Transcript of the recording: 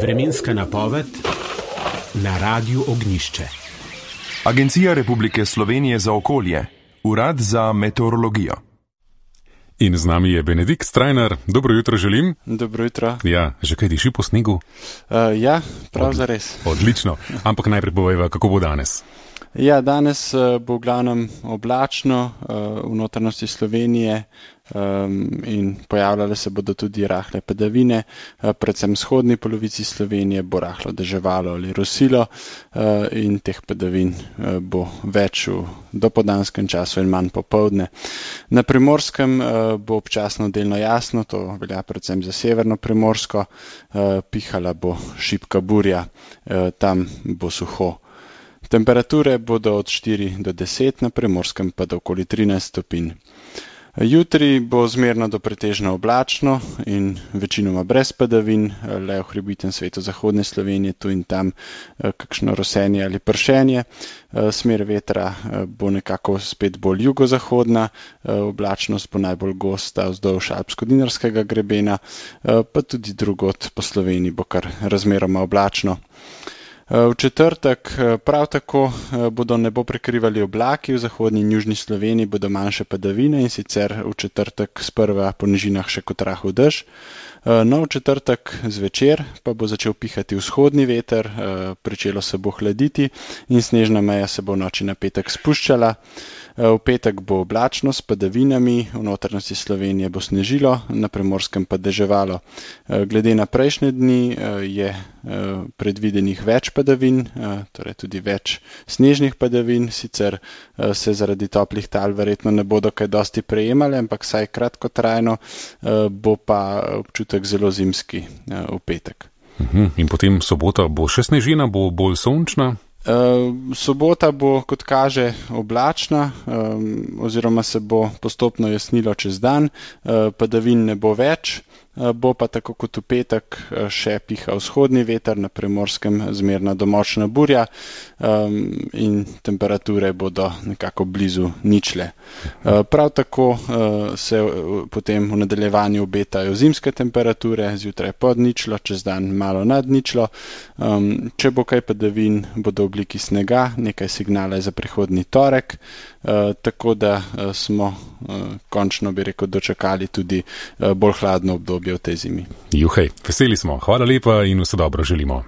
Vremenska napoved na Radiu Ognjišče. Agencija Republike Slovenije za okolje, Urad za meteorologijo. In z nami je Benedikt Strajnar. Dobro jutro želim. Dobro jutro. Ja, že kaj diši po snegu? Ja, prav zares. Odlično. Ampak najprej povejva, kako bo danes. Ja, danes bo v glavnem oblačno v notranjosti Slovenije in pojavljale se bodo tudi rahle padavine. Predvsem v vzhodni polovici Slovenije bo rahlo deževalo ali rosilo in teh padavin bo več v dopoldanskem času in manj popoldne. Na Primorskem bo občasno delno jasno, to velja predvsem za severno Primorsko, pihala bo šibka burja, tam bo suho. Temperature bodo od 4 do 10, na Primorskem pa do okoli 13 stopinj. Jutri bo zmerno do pretežno oblačno in večinoma brez padavin, le v hribovitem svetu zahodne Slovenije, tu in tam kakšno rosenje ali pršenje. Smer vetra bo nekako spet bolj jugozahodna, oblačnost bo najbolj gosta vzdolž Alpsko-Dinarskega grebena, pa tudi drugod po Sloveniji bo kar razmeroma oblačno. V četrtek prav tako bodo nebo prekrivali oblaki, v zahodni in južni Sloveniji bodo manjše padavine in sicer v četrtek sprva po nižinah še kot rahel dež. No, v četrtek zvečer pa bo začel pihati vzhodni veter, pričelo se bo hladiti in snežna meja se bo v noči na petek spuščala. V petek bo oblačno s padavinami, v notranjosti Slovenije bo snežilo, na Primorskem pa deževalo. Glede na prejšnje dni je predvidenih več padavin, torej tudi več snežnih padavin, sicer se zaradi toplih tal verjetno ne bodo kaj dosti prejemale, ampak saj kratkotrajno, bo pa občutek zelo zimski v petek. In potem sobota bo še snežina, bo bolj sončna? Sobota bo, kot kaže, oblačna oziroma se bo postopno jasnilo čez dan, padavin ne bo več, bo pa tako kot v petek še piha vzhodni veter, na Primorskem zmerna do močna burja in temperature bodo nekako blizu ničle. Prav tako se potem v nadaljevanju obetajo zimske temperature, zjutraj pod ničlo, čez dan malo nad ničlo. Če bo kaj padavin, bodo v obliki snega, nekaj signala za prihodnji torek, tako da smo končno, bi rekel, dočakali tudi bolj hladno obdobje v tej zimi. Juhej, veseli smo. Hvala lepa in vse dobro želimo.